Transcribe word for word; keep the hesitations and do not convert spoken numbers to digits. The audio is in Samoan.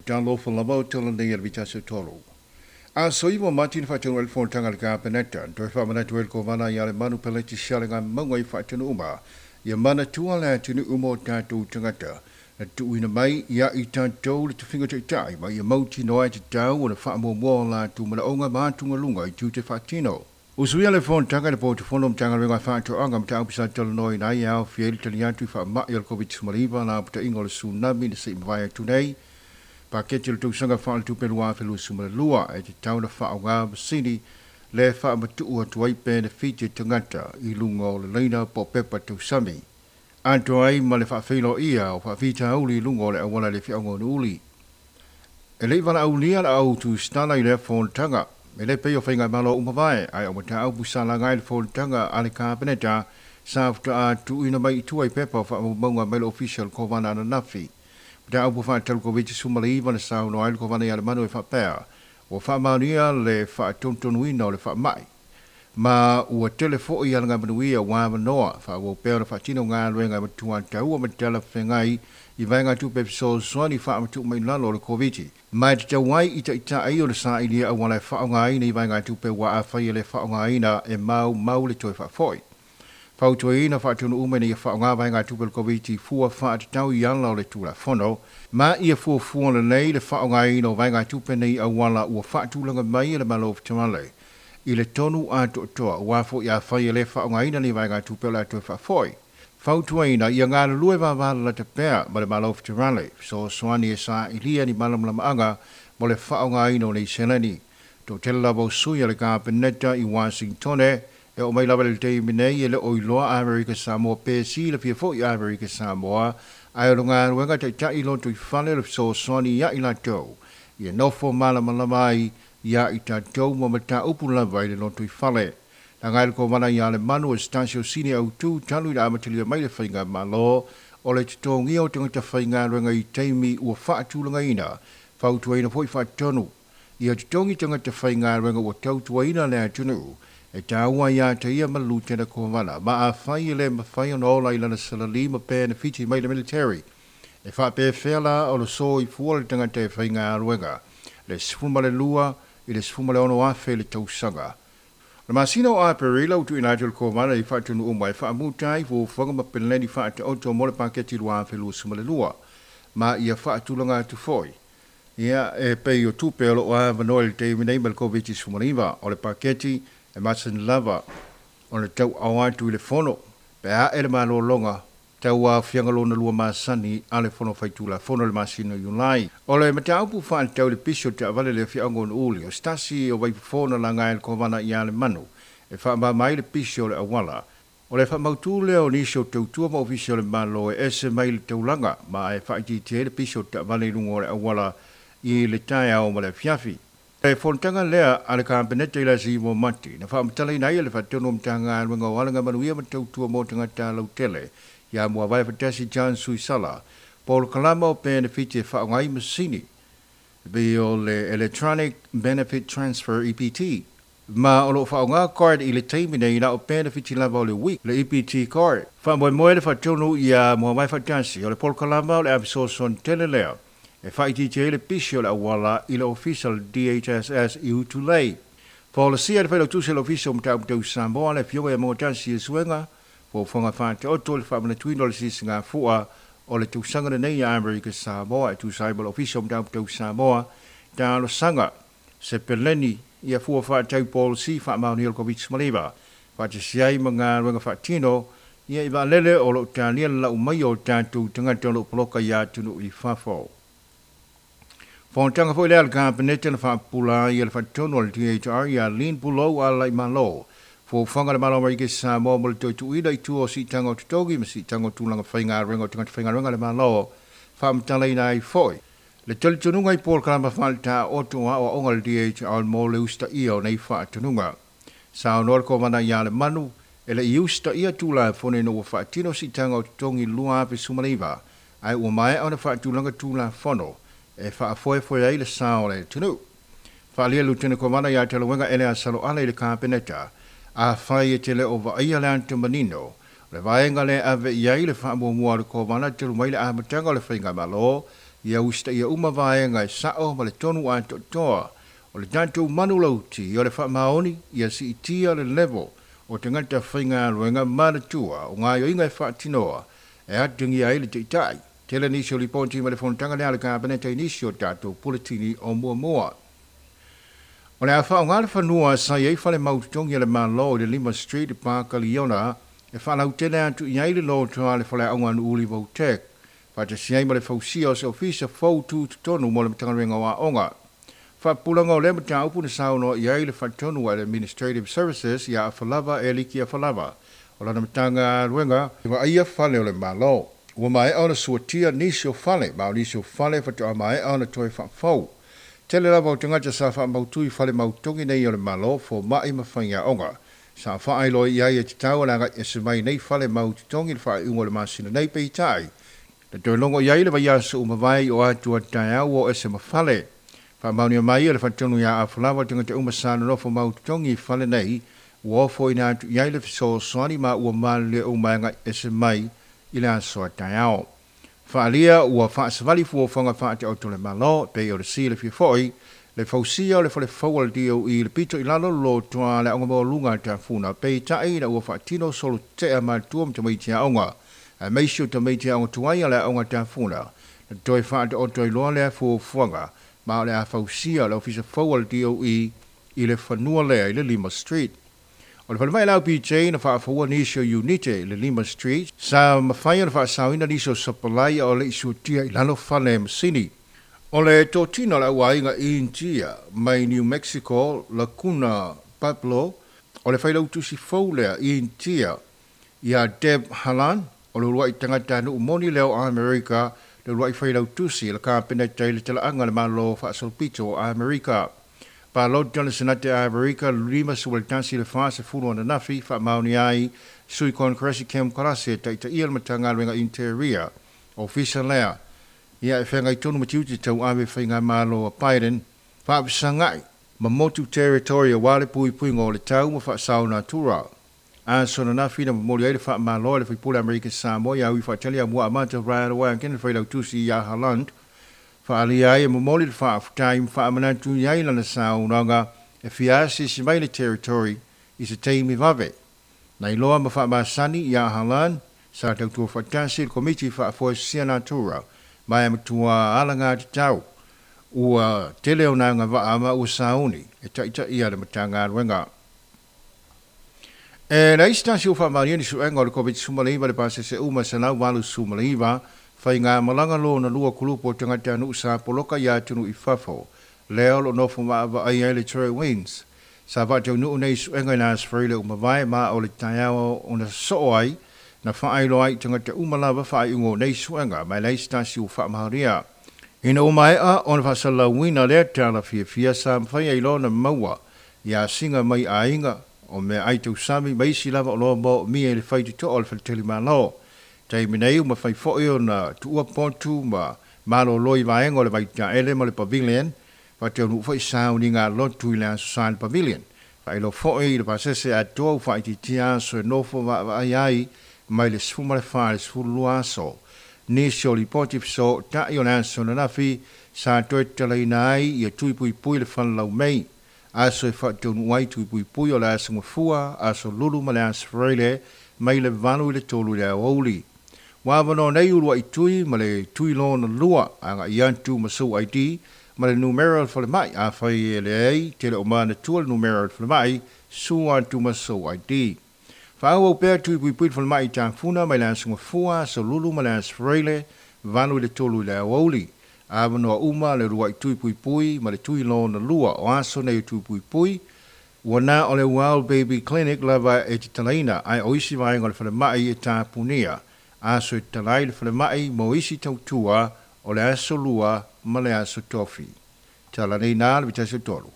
Talofa lava o tala nei a le vitasi o tolu. A soiwa mati na whaatanu el fontanga le kapeneta, toi whaamanatu el kovana i ale manu peleti siale ngā maunga i whaatanu uma. Ia mana tua le atunu uma o tātou tangata. Na tuuina mai ia i tātou le tufinga taitai, ma ia mauti noa e te tau o le whaamuamua la tu mana onga mātunga lunga i tū te whaatino. Usuia le fontanga le pōtu fono mtanga renga whaatoanga mta upisa talonoi nai au fieli tali atu i whaamai o le COVID sumaliva la puta ingo le tsunami na sei mawai atu nei. Paketi le tausaga faaletupe lua afe lua sefulu ma le lua e te tau na whaonga masini le whaamatu atu ai benefiti tangata i lunga o le leina po pepa tausami. Atoa ai ma le whaafeilo ia o whaafita uli i lunga o le awala le whiaonga o uli. E lei wala aulia la au tu stala i le fontanga. E le pei o whainga malo umavae, ai o mata au pusala ngai le fontanga a le kapeneta sa futa a tuuina mai i tua i pepa o whaamaunga mai le official kovana ananafi. Mata au whaatalu COVID sumaliva na sao no ai le kovana i ale manu e whapea. O whaamaunia le whaatontonuina o le whaamai. Ma ua tele foi ala ngā manuia wā manoa, wha pea na whaatino ngā luenga matua taua matala whengai i vaenga tupe fesoasoani whaamatu mai lalo o le COVID. Mai te tauai i taita ai o le sailia au wala whaonga i vaenga tupe wa a whai le whaonga e mau mau le toi whaafoi. Fautuaina whaatunu ume nei whaonga vaenga tupe le COVID fua whaatatau i ala o le tulafono. Ma ia fua fua le nei le whaonga o vaenga tupe nei au wala ua whaatulanga mai e le malo whitamale. I le tonu a toa ua fo ia whai le whaongaina ni vaenga tupe o le atoe whaafoi. Fautuaina ia ngā lue vāvāla la te pēa ma le malo whitamale. So swani e sa ilia ni malamlamaanga mo le whaongaina o nei seleni. Tō tele lava o sui a le kapeneta i Washington e o mai lava le teimi nei e le oiloa Amerika Samoa pe si le fia foi Amerika Samoa ai o ngā ruenga taitai loto i whale le fesoasoani ia i latou. Ia nofo malamalama ai ia i tātou ma mata upu lava i le loto i whale. Na ngai le kovana ia le manu e stasio sini au tū talu i le amatalia mai le whainga malo o le totongia o tangata whainga ruenga i teimi ua whaatulanga fautuaina foi whaatonu. Ia totongi tangata whainga ruenga ua tautuaina le atunu. E tāua ia te ia malu tena kovana. Ma a whai le mawhai o ola i lana salali ma benefiti mai le military. E whaapea whela o le so i fua le tangata e whainga ruenga. Le sefulu ma le lua i le sefulu ma le ono afe le tausaga. Le masina o Aperila utu ina atu le kovana i whaatunu uma e whaamutai fuafuaga ma peneleni whaataoto mo le paketi lua afe lua sefulu ma le lua. Ma ia whaatulanga atu foi. Ia e pei o tupe o lo a vanoa le teimi nei ma le COVID sefulu o le paketi e masan lava o le tau au atu i le fono. Pe a e le malolonga tau a fianga lona lua masani a le fono faitula fono le masina Iulai. O le mataupu whaatau le pisio te avale le fianga o uli o stasi o waipofona la ngai le kovana i ale manu. E whaama mai le pisio le awala. O le whamautu lea o nisi o tautua ma ofisi o le malo e ese mai le taulanga ma e whaitite le pisio te avale i lunga o le awala i le taeao ma le fiafi. E fontanga lea a le kapeneta i la si mo mati. Na whaamatala ina ia le whaatono mtanga alwenga o alanga manuia ma tautua mo tangata lautele. Ia mua vai whatasi John Suisala. Paul Kalama o benefit e whaongai masini. Be o le Electronic Benefit Transfer E P T. Ma o lo whaonga card i le taimi nei na o benefit i lava o le week le E P T card. Wha moe le whaatono ia mua vai whatasi o le Paul Kalama o le avisoson tele lea. E whaitite le pisio le awala i le official D H S S i Utulei. Policia le whailo tuse le official mtau mtau Samoa le fioga ia mōtasi e suenga. Fuafuaga whaataoto le whaamanatuina o le sisi ngā fua o le tausaga nei a Amerika Samoa e tusa ai ma le official mtau mtau Samoa talosaga se peleni ia fua whaatau policy whaamaoni o le COVID sefulu ma Whaatasi ai ma ngā ruenga whaatino ia i vaalele o lo tālia lau mai o tātou tangata o lo poloka ia atunu i fafo. Fontanga foi lea le kapeneta na whaapula ia le whaatono o le D H R ia Lin Pulou a lai malo. Fuafuaga le malo Amerika Samoa mo le toituina i tua o siitaga o totogi ma siitaga o tulaga faigaluega o tagata faigaluega le malo faamatalaina ai foi. Le talitonuga i Paul Kalama faaletāoto aoaoga le D H R mo le usitaia o nei faatonuga. Saunoa le kovana ia le manu e le i usitaia tulafono ina ua faatino siitaga o totogi lua afe sefulu ma le iva ai ua maea ona faatulaga tulafono e faafoefoe ai le sao o le atunuu. Faalia lutene kovana ia Talauega ele a saloala i le kapeneta. A whai e te le o vaia le anta manino. Le vaenga le ave i ai le whaamuamua le kovana telu mai le amatanga o le whainga malo. Ia usita ia uma vaega e sa'o ma le tonu atoatoa o le tatou manulauti o le faamaoni ia siitia le level o tagata faigaluega manatua o gaoioiga e faatinoa e atagia ai le taʻitaʻi. Tele nisi o lipoti ma le fonotaga lea a le Kapeneta i nisi o tatou puletini o muamua. O le a faaaoga le fanua sa i ai fale mautotogi a le Malo i le Lima Street i Pakaliona e faalautele atu i ai le loto a le faleaoga Nuuuli Vo-Tech faatasi ai ma le fausia o se ofisa fou tutotonu mo le Matagaluega o Aoga. Faapupulaga o lea mataupu na saunoa i ai le faatonu a le Administrative Services ia Afalava Eliki Afalava o lana Matagaluega e vaaia fale o le Malo. Ua maea ona suatia nisi o fale ma o nisi o fale faatoa maea ona toe faafou. Tele lava o tagata sa faamautu i fale mautogi nei o le Malo fomaʻi ma faiaoga. Sa faailoa i ai e tatau ona agai ese mai nei fale mautotogi le faaiuga o le masina nei peitai. Na toe logo i ai le vaiaso uma vai o atu a taeao o ese ma fale. Faamaonia mai e le faatonu ia Afalava tagata uma sa nonofo mautotogi i fale nei ua ofoina atu i ai le fesoasoani ma ua malilie uma e agai ese mai i le aso a taeao. Faalia ua faasavali fuafuaga faataoto le Malo pei o le silafia foi le fausia o le falefau o le D O E le pito i lalo lotoa le aoga maualuga a Tafuna peitai ina ua faatino solotea matua ma tamaiti aoga aemaise o tamaiti aoga tuai a le aoga Tafuna na toe faataoto ai loa lea fuafuaga ma o le a fausia le ofisa fou o le D O E i le fanua lea i le Lima Street. O le falemai lau P J na faafoua nisi o unite i le Lima Street sa mafai ona faasaoina nisi o sapalai o le isuatia i lalo fale masini. O le totino o le auaiga India mai New Mexico Laguna Pueblo o le failautusi fou lea India ia Deb Haaland o le uluai tagata nuu moni lea o Amerika le uluai failautusi le Kapeneta i le talaaga le Malo faasolopito o Amerika. Palota le Senate a Amerika lima sefulu le fa sefulu ananafi faamaoni ai sui Congress Kem Karase e taitaia le Matagaluega Interior ofisa lea ia e feagai tonu ma tiute tauave faigamalo a Biden faafesagai ma motu territory aua le puipuiga o le tau ma faasao natura. Aso ananafi na momoli ai le faamalo e le faipule Amerika Samoa ia ui faatali amua amata Brian Wankin le failautusi ia Haaland faalia ai e momoli le faafutai ma faamanatu i ai lana saunoaga e fia asiasi mai le territory i se taimi vave. Na iloa ma faamasani ia Haaland sa tautua faatasi le komiti faafoesia natura ma e matua alaga tatau ua tele o na agavaa ma ua sauni e taitaia le Matagaluega. E leai se tasi ua faamaonia ni suega o le COVID sefulumanaiva le pasese uma selau valu sefulumanaiva faiga malaga lona lua kulupu o tagata nuu sa poloka ia atunuu i fafo lea o loo nofo maavaai ai le Troy Wins. Sa faataunuu nei suega i le aso Faraile uma vae ma o le taeao ona soo ai na faailoa ai i tagata uma lava faaiuga o nei suega ma e leai se tasi ua faamaonia. Ina ua maea ona faasalalauina lea tala fiafia sa mafai ai loa ona maua ia asiga mai aiga o mea ai tausami ma isi lava o loa moomia i le faitotoa o le faletalimalo. Taimi nei ua mafai foi ona tuua potu ma malolo i vaega o le Vaitaele ma le Pavilion faataunuu foi sauniga lotu i le aso sa i le Pavilion. Faailoa foi i le pasese atoa ua faaitiitia aso e nofo vaavaai ai mai le sefulu ma le fa i le sefulu lua aso. Nisi o lipoti fesootai o le aso ananafi sa toe tatalaina ai ia tui puipui le falelaumei. Aso e faataunuu ai tui puipui o le aso Gafua, aso Lulu ma le aso Faraile mai le valu i le tolu i le aoauli. Ua avanoa nei uluai tui ma le tui lona lua agai atu ma sou I D ma le numera o le falemai. Afai e leai tele o manatua le numera o le falemai, sua atu ma sou I D. Faaauau pea tui puipui le falemai i Tafuna mai le aso Gafua, aso Lulu ma le aso Faraile, valu i le tolu i le aoauli. Avanoa uma le uluai tui puipui ma le tui lona lua o aso nei o tui puipui. Ua na o le Wild Baby Clinic lava e tatalaina ae o isi vaega o le falemai e tapunia. Aso e tatala ai le falemai mo isi tautua o le aso lua ma le aso tofi. Tala nei na le vitasi o tolu.